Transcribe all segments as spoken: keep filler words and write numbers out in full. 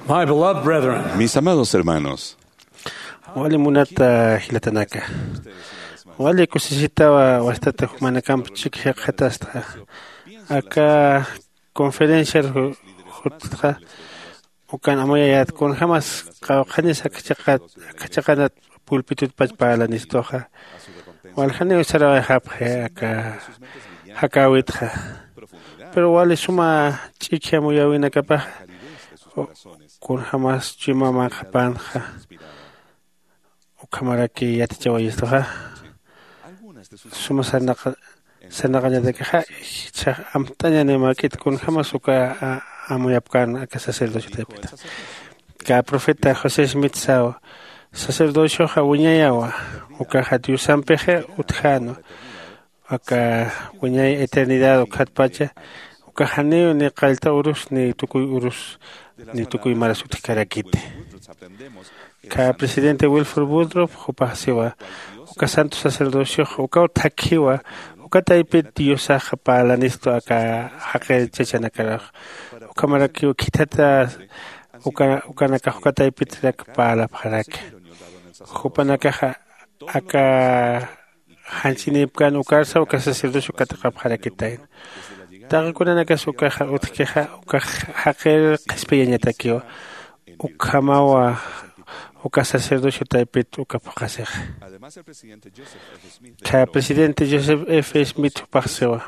My beloved brethren, mis amados hermanos, wali munata jilatanaka, wali kusisitawa wastata jumanakamp chik jiqatastxa aka conferenciar jutxa. Ukan amuyayat kunjämas qawqhanis akachaqanat pulpitutpach parlanistuxa. Waljaniw sarawayxapxi aka jakäwitxa. Pero wali suma ch'ikhi amuyäwinakapaxa kunjämas chuyma manqhapanxa ukhamaraki yatichawayistuxa. Suma sarnaqañatakixa ichhax amt'añaniw mäk'it kunjämas uka amuyapkän aka sacerdocio taypita. Kä profeta josé smith saw sacerdocioxa wiñayawa. Ukaxa diosampixa utjänwa aka wiñay eternidad ukkhatpacha. Ukax janiw ni qallta urus ni tukuy urus ni tukuy maras utjkarakiti. Kä presidente wilford budrop jupax siwa uka santo sacerdociox ukaw thakhiwa. Uka taypit diosax parlanistu aka jaqir chachanakarax. Ukhamarakiw khithata ukanakax uka taypitrak parlapxaraki. Jupanakaxa aka janch'inipkän ukarsa uka sacerdocio katiqapxarakitayna. Taqi kunanakas ukaxa utjkixa ukax jaqir qhispiyañatakiwa. Ukhamawa uka sacerdocio taypit uka phuqhasixa. Kha presidente joseph f smith jupaxsiwa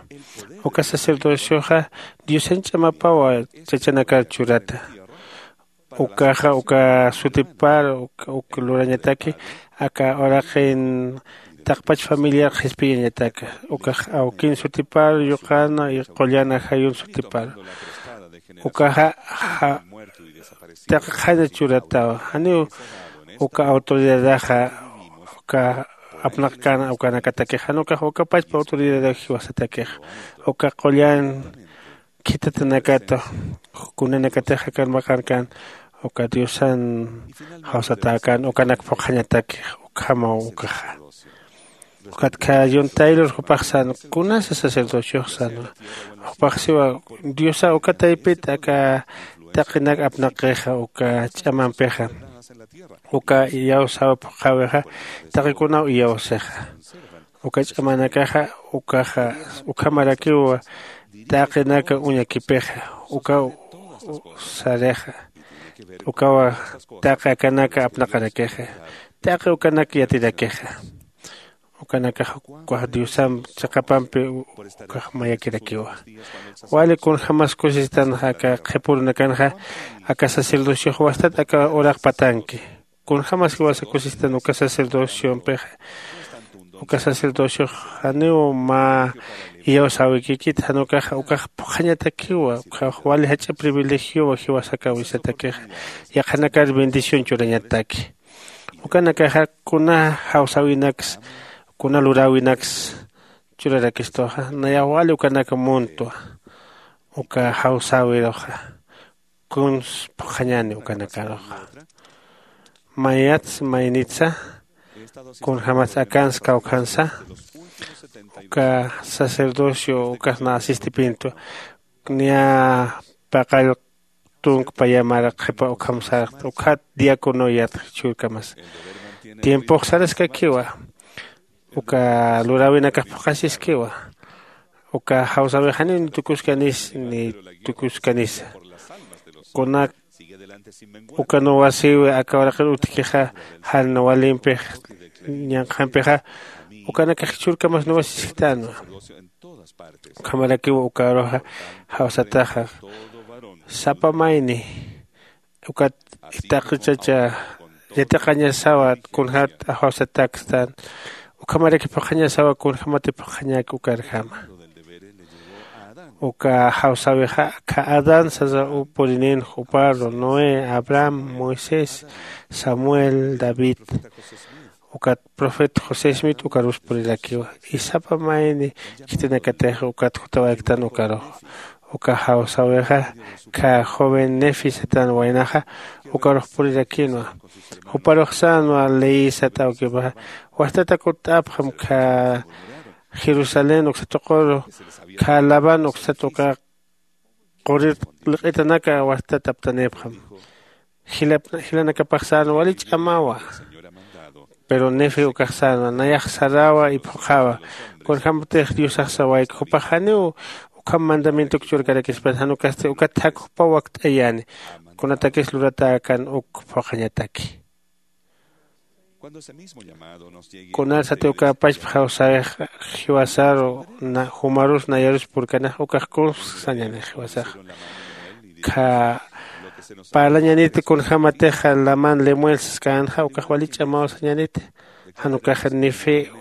uka sacerdocioxa diosan ch'amapawa chachanakar churata. Ukaxa uka sutipar uk lurañataki aka uraqin taqpach familiar qhispiyañataka. Ukax awkin sutipar yuqana y qullan ajayun sutipar ukaxa taqi qhana churatawa. Janiw uka autoridadaxa uka apnaqkana ukanakatakix jan ukax uka pachpa autoridadaw jiwasatakix uka qullan khithatanakata kunanakatix akan maqankan uka diosan jawsatäkan ukanak phuqhañatakix. Ukhamaw ukaxa ukat kha john taylor jupax sän kunasa sacerdociox sänwa. Jupax siwa diosa uka taypit aka taqinak apnaqixa uka ch'amampixa uka iyawsäwi phuqhäwixa taqikunaw iyawsixa. Uka ch'amanakaxa ukaxa ukhamarakiw taqinaka uñakipixa ukaw sarixa ukawa taqi akanaka apnaqarakixa taqi ukanak yatirakixa. Ukanakax ukax diosamp chiqapampi ukax mayakirakiwa. Wali kunjämas kusisitanxa aka qhipürunakanxa aka sacerdociox wastat aka uraq patanki. Kunjämas jiwasa kusisitan uka sacerdociompixa uka sacerdociox janiw mä iyawsäwikikit jan ukaxa ukax phuqhañatakiwa ukax wali jach'a privilegiowa jiwasakäwisatakixa. Yaqhanakar bendición churañataki ukanakaxa kuna jawsäwinaksa kuna luräwinaksa churarakistuxa nayax wali ukanaka muntwa. Uka jawsäwiruxa kuns phuqhañäni ukanakaruxa. Mayats maynitsa kunjämats akans kawkhansa uka sacerdocio ukas na asistipintu niya paqall tunk payamar qhipa ukham sarxt ukhat diácono yatx churkamas tiempox saraskakiwa. Uka luräwinakax phuqhasiskiwa uka jawsäwixaniw ni tukuskanisa ni tukuskanisa. Kunak uka nuwasïwi aka uraqir utjkixa jan nuwalimpix ñanqhampixa ukanakax jichhürkamas nuwasisktanwa. Ukhamarakiw ukaruxa jawsataxa sapa mayni ukat taqi chacha yatiqañasawa kunjat jawsatakstan. Ukhamaraki phuqhañasawa kunjämati phuqhañäki ukarjama. Uka jawsäwixa akha adán sasa purininx juparu noé abraham moisés samuel david ukat profeta josé smith ukarus purirakiwa. Isapa mayni khitinakatix ukat jutawayaktan ukarux uka jawsäwixa kha joven nefi satan waynaxa ukarux purirakinwa. Juparux sänwa ley sat awkipaxa wajtata kutt'apxam kha jerusalén uksa tuquru kha labán uksat uka qurir liq'itanaka wajtat aptanipxam. jilanakapax sänwa wali ch'amawa. Pero nefe ukax sänwa nayax sarawa iphuqhawa. Kunjämatix diosax sawayki jupax janiw ukham mandamientok churkarakispan jan ukasti ukat jak jupaw wakt'ayani. Kunatakis luratäkan uk phuqhañataki. Kunasati uka pachpa jawsayax jiwasaru jumarus nayarus purkanax ukax kunsa sañanix jiwasax. Kha parlañaniti kunjämatixa laman lemuel saskänxa ukax wali ch'amaw sañaniti. Jan ukax nife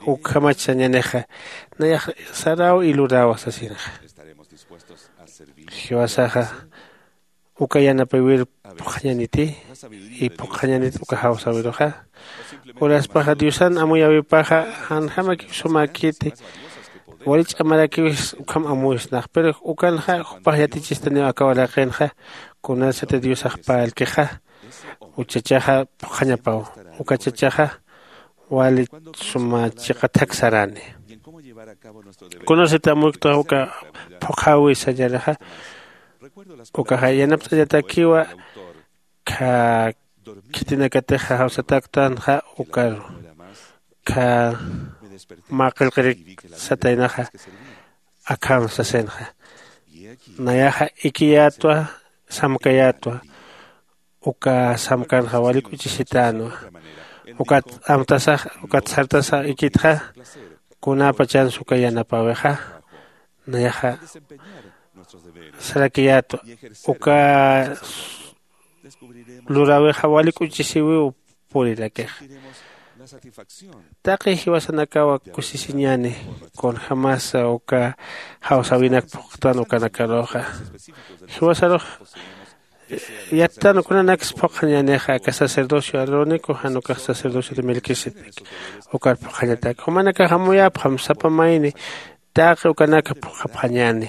ukhamach sañanixa nayax saraw ilurawa sasinxa. Jiwasaxa uka yanapaywir phuqhañaniti. Y phuqhañanit uka jawsawiruxa uraspaxa diosan amuyäwipaxa janjämakiw sumäkiti. Wali ch'amarakiwis ukham amuyisnax pero ukanxa jupax yatichistaniw aka uraqinxa. Kunasati diosax parlkixa uchachaxa phuqhañapaw. Uka chachaxa wali suma chiqathak sarani. Kunasati amuyktax uka phuqhäwi sañaraxa ukaxa yanapt'añatakiwa. Kha khitinakatixa jawsataktanxa ukaru kha mä qillqirik sataynaxa akham sasinxa. Nayaxa ikiyätwa samkayätwa uka samkanxa walik uch'isitänwa. Ukat amtasax ukat sartasax ikitxa kunäpachansa uka yanapäwixa nayaxa sarakiyätwa. Uka luräwixa walik uch'isiwiw purirakixa. Taqi jiwasanakawa kusisiñani kunjämasa uka jawsäwinak phuqtan ukanakaruxa. Jiwasarux yattan kunanaksa phuqhañänixa aka sacerdocio arónico jan ukax sacerdocio de melquisedec. Ukar phuqhañatak jumanakax amuyäpxam sapa mayni taqi ukanaka phuqhapxañäni.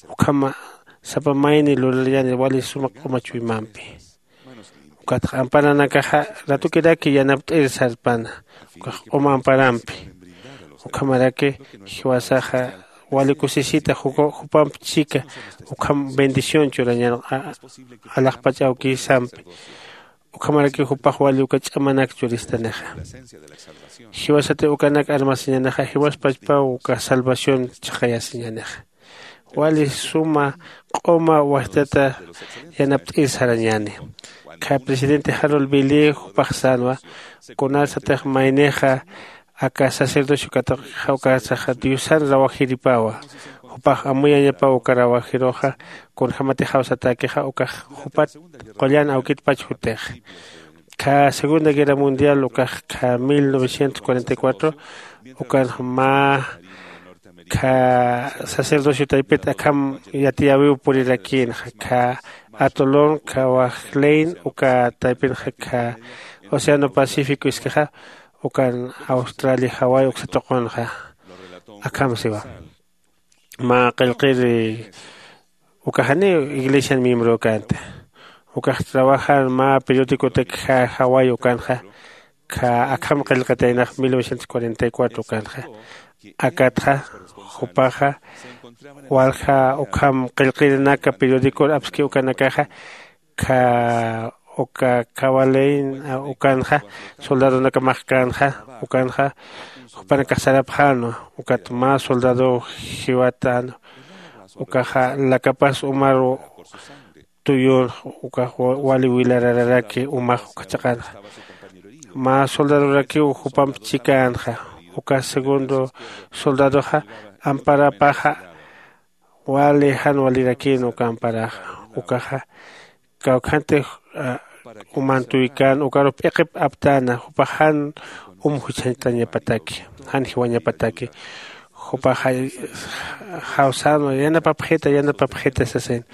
Ukhama sapa mayni lurarañäni wali suma q'uma chuymampi. Ukatxa amparanakaxa ratukiraki yanapt'ir sarpana ukax q'uma amparampi. Ukhamaraki jiwasaxa wali kusisita jupamp chika ukham bendición churañan alaxpach awkisampi. Ukhamarakiw jupax wali uka ch'amanak churistanixa. Jiwasati ukanak armasiñanixa jiwas pachpaw uka salvación chiqayasiñanixa. Wali suma q'uma wajtata yanapt'ir sarañäni. Kha presidente harold billy jupax sänwa kunasatix maynixa aka sacerdocio katuqixa ukasaxa diosan rawajiripawa. Jupax amuyañapaw uka rawajiruxa kunjämatix jawsatäkixa ukax jupat qullan awkitpach jutix. Kha segunda guerra mundial ukax kha mil novecientos cuarenta y cuatro ukanx mä kha sacerdocio taypit akham yatiyäwiw purirakïnxa kha atolón kha wajlein uka taypinxa kha océano pacífico iskixa ukan australia hawai uksa tuqunxa. Akham siwa mä qillqir uka janiw iglesian miembrokanti. Ukax trabajan mä periodicotak hawai ukanxa kha akham qillqitaynax mil novecientos cuarenta y cuatro ukanxa akatxa jupaxa walja ukham qillqirinaka periodicor apski ukanakaxa kha uka kawalein ukanxa soldadonaka maxkänxa ukanxa jupanakax sarapxänwa. Ukat mä soldadow jiwatänwa ukaxa lakapas umaru tuyunx ukax wali wilarararaki umax uka chiqanxa. Mä soldadorakiw jupamp chikänxa uka segundo soldadoxa amparapaxa wali jan walirakïn uka amparaxa ukaxa kawkhantix umantuykan ukarux p'iqip aptäna jupax jan um juchhañtañapataki jan jiwañapataki. Jupaxa jawsänwa yanapapxita yanapapxita sasin.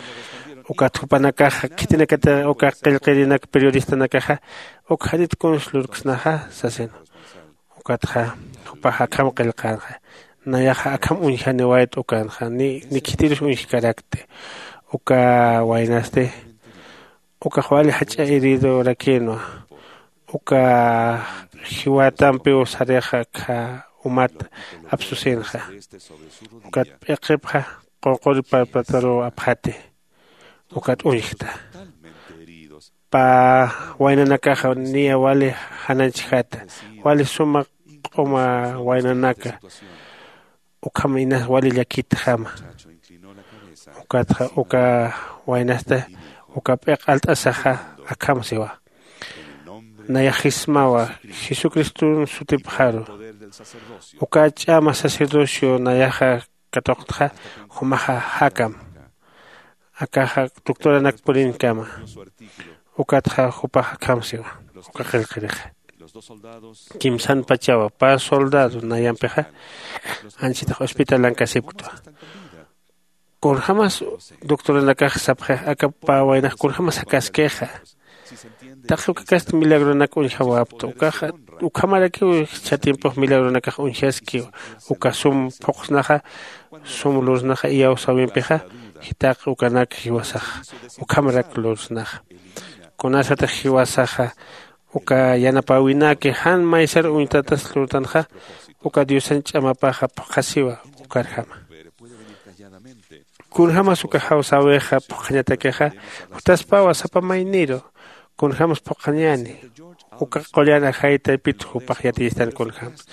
Ukat jupanakaxa khitinakatix uka qillqirinak periodistanakaxa uk janit kuns lurksnaxa sasin. Ukatxa jupax akham qillqänxa nayaxa akham uñjaniwayt ukanxa ni khitirus uñjkarakti. Uka waynasti ukax wali jach'a heridorakïnwa uka jiwatampiw sarixa kha umat apsusinxa ukat p'iqipxa qunquri parpataruw apxati. Ukat uñjta pä waynanakaxa niya wali jananchjata, wali suma q'uma waynanaka. Ukham inas wali llakitjama. Ukatxa uka waynasta uka p'iq alt'asaxa akham siwa. Nayaxismawa jesucriston sutipxaru. Uka ch'ama sacerdocio nayaxa katuqtxa jumaxa jakam. Akaxa doctoranak purinkama. Ukatxa jupax akham siwa. Uka qillqirixa kimsan pachawa pä soldado nayampixa anchitax hospitalankasipktwa. Kunjämas doctoranakax sapxix aka pä waynax kunjämas jakaskixa. Taqi ukakasti milagronak uñjawapta ukaxa ukhamarakiw jichha tiempox milagronakax uñjaski. Uka sum phuqsnaxa sum lursnaxa iyawsäwimpixa jitaq ukanak jiwasax ukhamarak lursnaxa. Kunasatix jiwasaxa uka yanapäwinaki jan maysar uñtatas lurtanxa uka diosan ch'amapaxa phuqhasiwa. Ukarjama kunjämas uka jawsäwixa phuqhañatakixa jutaspawa sapa mayniru. Kunjämas phuqhañäni uka qullan ajay taypit jupax yatiyistan kunjämas.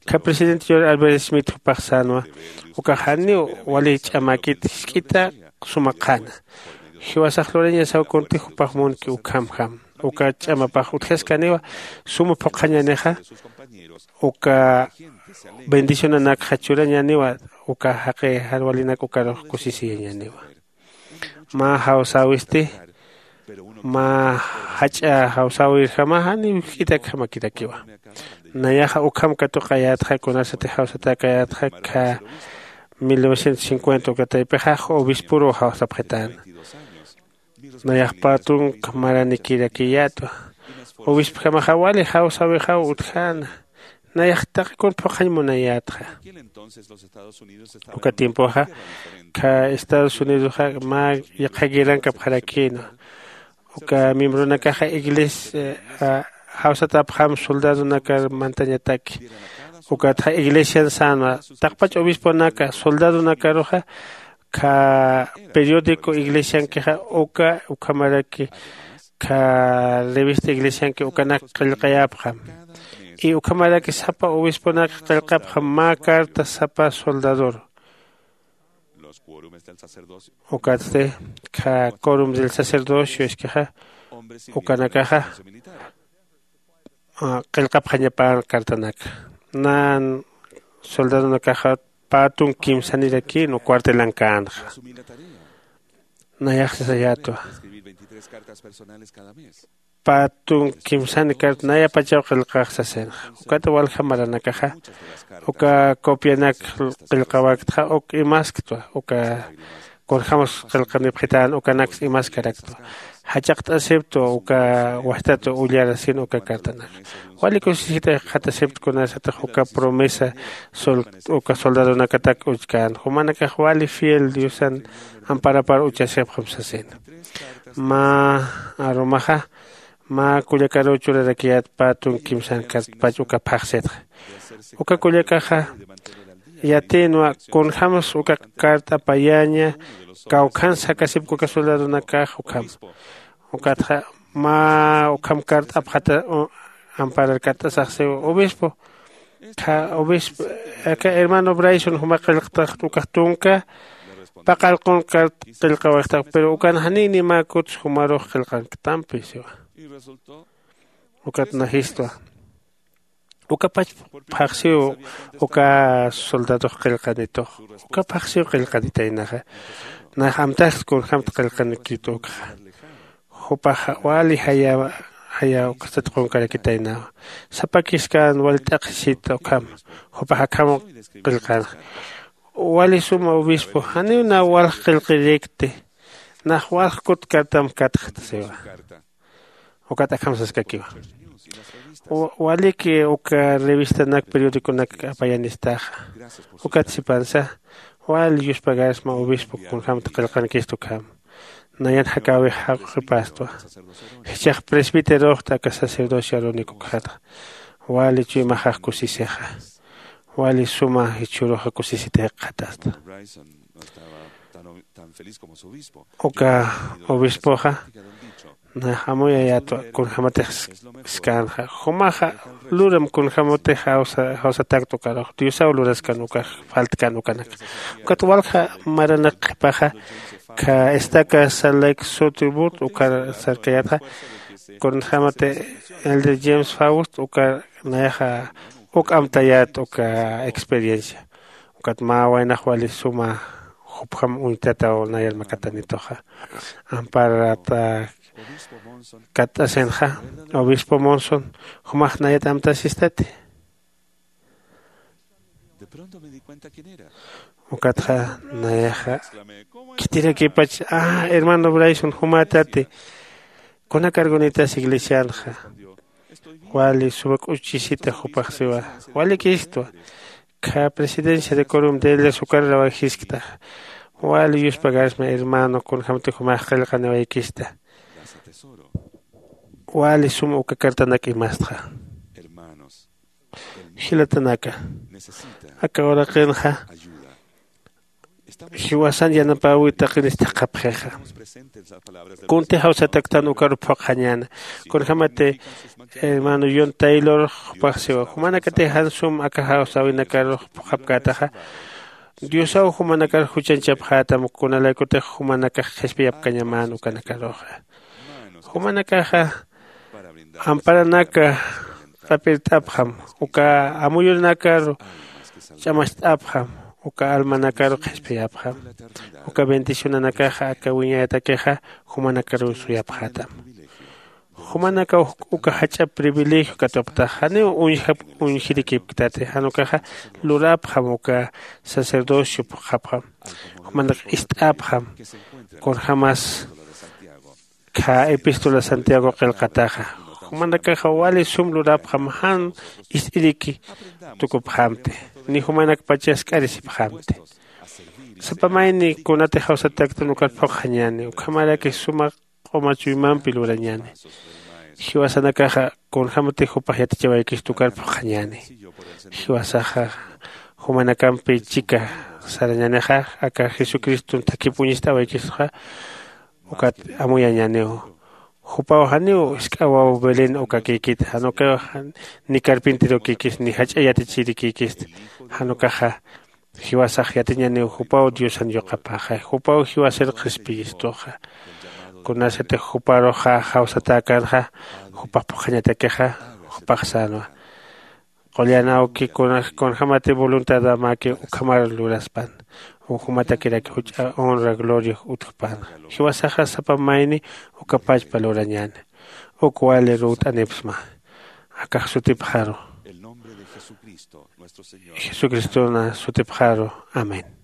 Kha presidente george albert smith jupax sänwa uka janiw wali ch'amäkit jisk'ita suma qhana. Jiwasax lurañasaw kunti jupax munki ukhamjam uka ch'amapax utjaskaniwa suma phuqhañänixa. Uka bendicionanakxa churañäniwa uka jaqi jan walinak ukarux kusisiyañäniwa. Mä jawsäwisti mä jach'a jawsäwirjama janiw jisk'itakjamakirakiwa. Nayaxa ukham katuqayätxa kunasati jawsatäkayätxa kha mil novecientos cincuenta uka taypixa obisporuw jawsapxitäna. Nayax pä tunka maranikirakiyätwa. Obispojamaxa wali jawsäwixaw utjäna. Nayax taqi kun phuqhañ munayätxa. Uka tiempoxa kha estados unidosxa mä yaqha guerrankapxarakïnwa. Uka miembronakaxa iglesia jawsatäpxam soldadonakar mantañataki. Ukatxa iglesian sänwa taqpach obisponaka soldadonakaruxa kha periódico iglesiankixa uka ukhamaraki kha revista iglesianki ukanak qillqayapxam. Y ukhamaraki sapa obisponak qillqapxam mä carta sapa soldadoru. Ukatsti kha corum del sacerdocio iskixa ukanakaxa qillqapxañapan cartanak nan soldadonakaxa pä tunk kimsanirakïnwa cuartelankänxa. Nayax sasayätwa pä tunk kimsani carta nayapachaw qillqax sasinxa. Ukat walja maranakaxa uka copianak qillqawaktxa uk imasktwa uka kunjämas qillqanipxitän ukanaks imaskaraktwa. Jach'aqt'asiptwa uka wajtat ullarasin uka cartanaka. Wali kusisita jikxatasipta kunasatix uka promesa uka soldadonakatak uchkän jumanakax wali fiel diosan amparapar uchasipxam sasina. Mä arumaxa mä kullakaruw churarakiyät pä tunk kimsan cartpach uka phaxsitxa. Uka kullakaxa yatïnwa kunjämas uka carta apayaña kawkhan sakasipka uka soldadonakax ukham. Ukatxa mä ukham carta apxata amparar cartasax siw obispo kha obispo aka hermano brayson juma qillqtaxt ukax tunka paqallqun carta qillqawayxtax pero ukan janiw nimäkuts jumarux qillqanktampi siwa. Ukat najistwa ukapach phaxsiw uka soldadox qillqanitux uka phaxsiw qillqanitaynaxa. Nax amtaxt kunjämta qillqanikit ukxa jupaxa wali jaya jaya ukasat qunkarakitaynawa. Sapakiskan wali t'aqhisita ukham jupax akham qillqanxa. Wali suma obispo janiw nax walj qillqirikti nax walj kut cartam katxta siwa. Ukat akham saskakiwa waliki uka revistanak periodiconak apayanistaxa. Ukat sipansa wali yuspagarsma obispo kunjämta qillqankista ukham. Nayan jakäwix jaq'u qhipastwa. Jichhax presbiteroxta aka sacerdocio arónico ukxatxa wali chuymaxax kusisixa. Wali suma jichhüruxa kusisita jikxatasta. Uka obispoxa Nax amuyayätwa kunjämatix skänxa. Jumaxa luram kunjämatix jawsa jawsatäkta ukarux diosaw luraskan ukax faltkan ukanaka. Ukat walja maranak qhipaxa kha estaca salt lake sutibut ukar sarkayätxa. Kunjämati elder james faust ukar nayaxa uk amtayät uka experiencia. Ukat mä waynax wali suma jupjam uñtataw nayar makatanituxa. Amparata katt'asinxa obispo monson jumax nayat amtasistati. Ukatxa nayaxa khitirakipach a hermano brayson jumätati. Kuna cargunitas iglesianxa wali suma k'uchisita jupax siwa. Walikistwa kha presidencia de corum de ellas ukar rawajiskta. Wali yuspagarsma hermano kunjämti jumax qillqaniwaykista. Wali sum uka cartanak imastxa. Jilatanaka aka uraqinxa jiwasan yanapäwi taqinistix qhapxixa. Kunti jawsataktan ukaru phuqxañäna. Kunjämati hermano yon taylor jupax siwa jumanakatix jan sum aka jawsäwinakarux phuqhapkätaxa. Diosaw jumanakar juchañchapxätam kunalaykutix jumanakax qhispiyapkañamän ukanakaruxa. Jumanakaxa amparanaka q'apirt'apxam uka amuyunakaru ch'amacht'apxam uka almanakaru qhispiyapxam. Uka bendicionanakaxa aka wiñayatakixa jumanakaruw suyapxätam. Jumanakaw uka jach'a privilegio katuqtax janiw uñjap uñjirikipktati jan ukaxa luräpxam uka sacerdocio phuqhapxam. Jumanak ist'äpxam kunjämas kha epístola santiago qillqataxa. Jumanakaxa wali sum lurapxam jan ist'iriki tukupxamti ni jumanakpacha sk'arisipxamti. Sapa mayni kunatix jawsataktan ukar phuqxañäni ukhamaraki suma q'uma chuymampi lurañäni. Jiwasanakaxa kunjämatix jupax yatichawaykista ukar phuqxañäni. Jiwasaxa jumanakampi chika sarañänixa aka jesucriston thakip uñist'awaykistuxa. Ukat amuyañäniw jupaw janiw isk'awaw belén ukakïkita jan ukaw ni carpinterokïkista ni jach'a yatichirikïkista. Jan ukaxa jiwasax yatiñäniw jupaw diosan yuqapaxay jupaw jiwasir qhispiyistuxa. Kunasatix juparuxa jawsatäkänxa jupax phuqhañatakixa jupax sänwa. Qullan awki kunjämati voluntadamaki ukhamar luraspan jumatakiraki juch'a honra gloria utjpänxa. Jiwasaxa sapa mayni uka pachpa lurañäni. Uk wali ruwt'anipsma akax sutipxaru jesucristona sutipxaru. Amén.